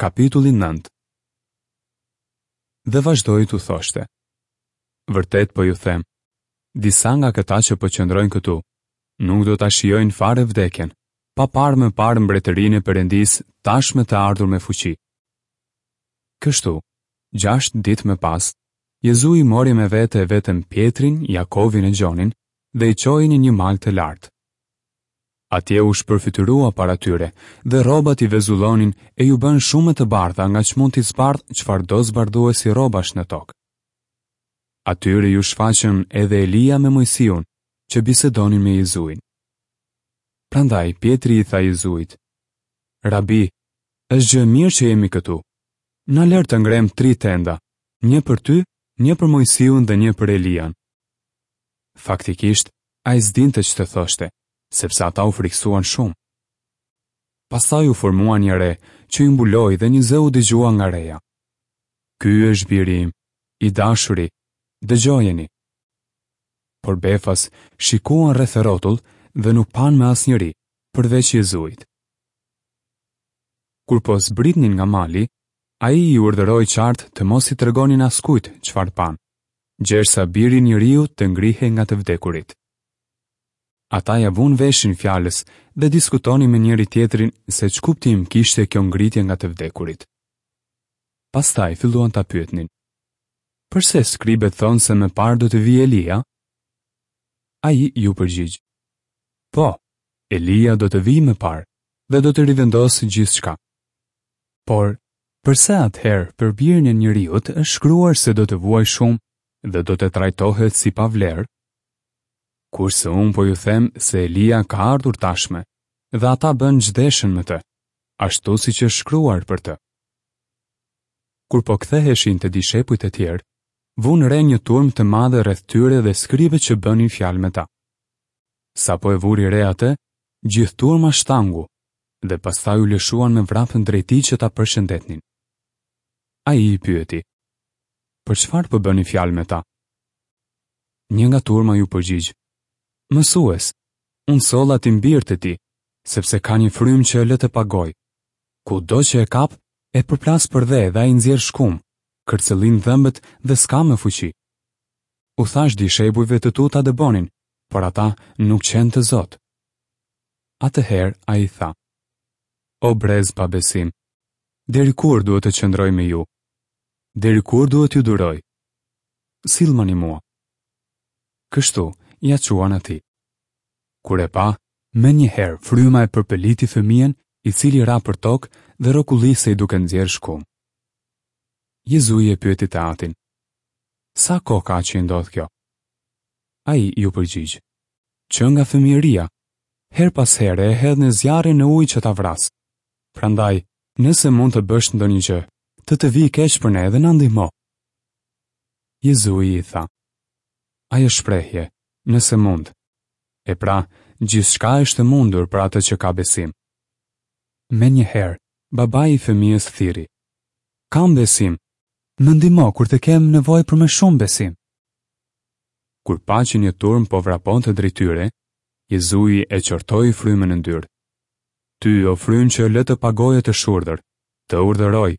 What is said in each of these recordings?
Kapitulli 9 Dhe vazhdoi t'u thoshte. Vërtet po ju them, disa nga këta që po qëndrojnë këtu, nuk do ta shijojnë fare vdekjen, pa parë më parë mbretërinë e Perëndisë tashmë të ardhur me fuqi. Kështu, gjashtë ditë më pas, Jezui mori me vete vetëm Pjetrin, Jakovin e Gjonin dhe i çoi në një mal të lartë. Atje u shpërfytyrua para tyre, dhe rrobat i vezullonin e iu bënë shumë më të bardha nga ç'mund t'i zbardhë çfarëdo zbardhuesi rrobash në tokë. Atyre iu shfaqën edhe Elia me Moisiun, që bisedonin me Jezuin. Prandaj Pjetri i tha Jezuit: Rabi, është gjë e mirë që jemi këtu. Na lër të ngremë tri tenda, një për ty, një për Moisiun dhe një për Elian. Faktikisht, ai s'dinte ç'të thoshte, sepse ata u frikësuan shumë. Pastaj u formua një re që i mbuloi dhe një zë u dëgjua nga reja. Ky është biri im, i dashuri, dëgjojeni. Por befas shikuan rreth e rrotull dhe nuk panë më asnjeri, përveç Jezuit. Kur po zbritnin nga mali, ai i urdhëroi qartë të mos i tregonin askujt çfarë panë, gjersa biri i njeriut të ngrihej nga të vdekurit. Ata ia vunë veshin fjalës dhe diskutonin me njëri-tjetrin se ç'kuptim kishte kjo ngritje nga të vdekurit. Pastaj filluan ta pyetnin. Përse skribët thonë se më parë do të vijë Elia? Ai iu përgjigj. Po, Elia do të vijë më parë dhe do të rivendosë gjithçka. Por, përse atëherë për birin e njeriut është shkruar se do të vuajë shumë dhe do të trajtohet si pa vlerë? Kurse unë po ju them se Elia ka ardhur tashmë dhe ata bënë ç'deshën me të, ashtu siç është shkruar për të. Kur po ktheheshin te dishepujt e tjerë, vunë re një turmë të madhe rreth tyre dhe skribët që bënin fjalë me ta. Sapo e vuri re atë, gjithë turma shtangu dhe pastaj u lëshuan me vrap drejt tij që ta përshëndetnin. Ai i pyeti: Për çfarë po bëni fjalë me ta? Një nga turma iu përgjigj, Mësues, unë solla tim bir te ti, sepse ka një frymë që e lë të pagojë. Kudo që e kap, e përplas përdhe dhe ai nxjerr shkumë, kërcëllin dhëmbët dhe s'ka më fuqi. U thashë dishepujve të tu ta dëbonin, por ata nuk qenë të zotë. Atëherë ai tha, O brez pa besim, deri kur duhet të qëndroj me ju? Deri kur duhet t'ju duroj? Sillmani mua. Kështu, ia çuan atij. Kur e pa, menjëherë fryma e përpëliti fëmijën, i cili ra përtokë dhe rrokullisej duke nxjerrë shkumë. Jezui e pyeti të atin, Sa kohë ka që i ndodh kjo? Ai iu përgjigj, Që nga fëmijëria, herë pas here e hedh në zjarr e në ujë që ta vrasë. Prandaj, nëse mund të bësh ndonjë gjë, të të vijë keq për ne dhe na ndihmo. Jezui i tha, Ajo shprehje, nëse mund. E pra, gjithçka është e mundur për atë që ka besim. Menjëherë, babai i fëmijës thirri, Kam besim! Më ndihmo kur të kem nevojë për më shumë besim. Kur pa që një turmë po vraponte drejt tyre, Jezui e qortoi frymën e ndyrë. Ty, o frymë që lë të pagojë e të shurdhër, të urdhëroj,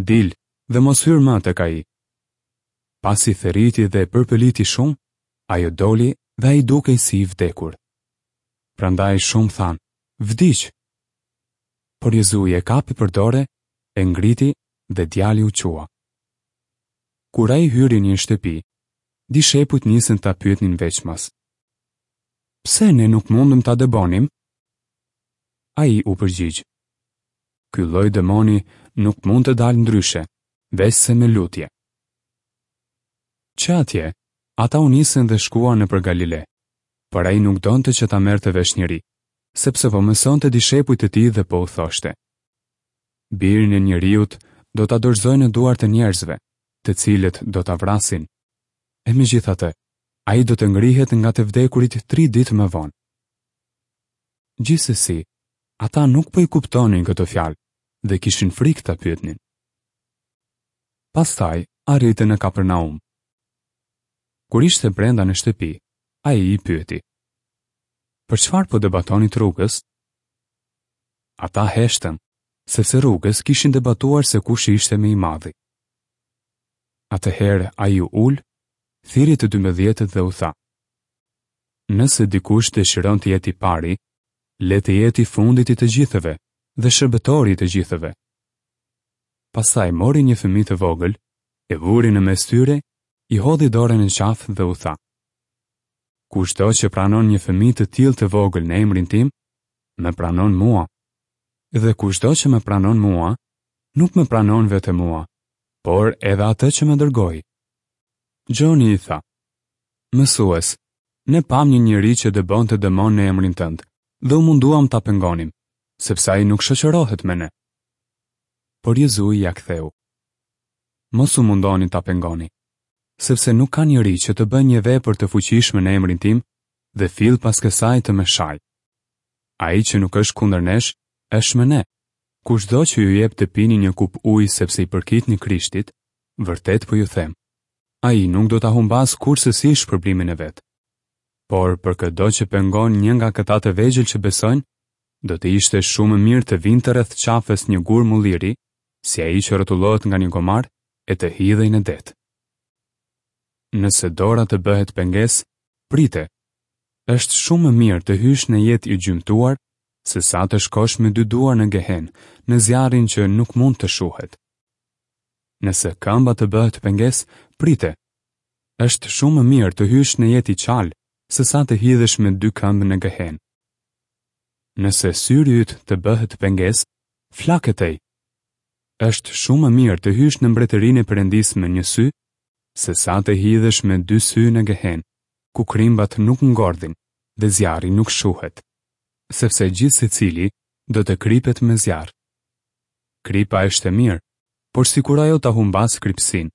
dil dhe mos hyr më tek ai. Pasi thërriti dhe e përpëliti shumë, ajo doli dhe ai dukej si i vdekur. Prandaj shumë thanë, vdiq! Por Jezui e kapi për dore, e ngriti dhe djali u çua. Kur ai hyri në një shtëpi, dishepujt nisën ta pyetnin veçmas. Pse ne nuk mundëm ta dëbonim? Ai u përgjigj. Ky lloj demoni nuk mund të dalë ndryshe, veçse me lutje. Që atje, ata u nisën dhe shkuan nëpër Galile, por ai nuk donte që ta merrte vesh njeri, sepse po mësonte dishepujt e tij dhe po u thoshte. Birin e njeriut do ta dorëzojnë në duart e njerëzve, të cilët do ta vrasin. E megjithatë, ai do të ngrihet nga të vdekurit tri ditë më vonë. Gjithsesi, ata nuk po i kuptonin këto fjalë dhe kishin frikë ta pyetnin. Pastaj arritën në Kapernaum. Kur ishte brenda në shtëpi, ai i pyeti: Për çfarë po debatonit rrugës? Ata heshtën, sepse rrugës kishin debatuar se kush ishte më i madhi. Atëherë ai u ul, thirri të dymbëdhjetët dhe u tha: Nëse dikush dëshiron të jetë i pari, le të jetë i fundit i të gjithëve dhe shërbëtori i të gjithëve. Pastaj mori një fëmijë të vogël, e vuri në mes tyre, i hodhi dorën në qafë dhe u tha: Kushdo që pranon një fëmijë të tillë të vogël në emrin tim, më pranon mua. Dhe kushdo që më pranon mua, nuk më pranon vetëm mua, por edhe atë që më dërgoi. Gjoni i tha: Mësues, ne pamë një njeri që dëbonte demonë në emrin tënd dhe u munduam ta pengonim, sepse ai nuk shoqërohet me ne. Por Jezui ia ktheu: Mos u mundoni ta pengoni, sepse nuk ka njeri që të bëjë një vepër të fuqishme në emrin tim dhe fill pas kësaj të më shajë. Ai që nuk është kundër nesh, është me ne. Kushdo që ju jep të pini një kupë ujë sepse i përkitni Krishtit, vërtet po ju them, ai nuk do ta humbasë kurrsesi shpërblimin e vet. Por për këdo që pengon një nga këta të vegjël që besojnë, do të ishte shumë më mirë të vinte rreth qafës një gur mulliri, si ai që rrotullohet nga një gomar, e të hidhej në det. Nëse dora të bëhet pengesë, prite. Është shumë më mirë të hysh në jetë i gjymtuar, sesa të shkosh me dy duar në Gehenë, në zjarrin që nuk mund të shuhet. Nëse këmba të bëhet pengesë, prite. Është shumë më mirë të hysh në jetë i çalë, sesa të hidhesh me dy këmbë në Gehenë. Nëse syri yt të bëhet pengesë, flake tej. Është shumë më mirë të hysh në mbretërinë e Perëndisë me një sy, sesa të hidhesh me dy sy në Gehenë, ku krimbat nuk ngordhin dhe zjarri nuk shuhet, sepse gjithsecili do të kripet me zjarr. Kripa është e mirë, por sikur ajo ta humbasë kripësinë,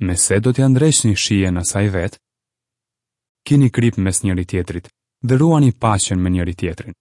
me se do t'ia ndreqni shijen asaj vetë? Kini kripë mes njëri-tjetrit dhe ruani paqen me njëri-tjetrin.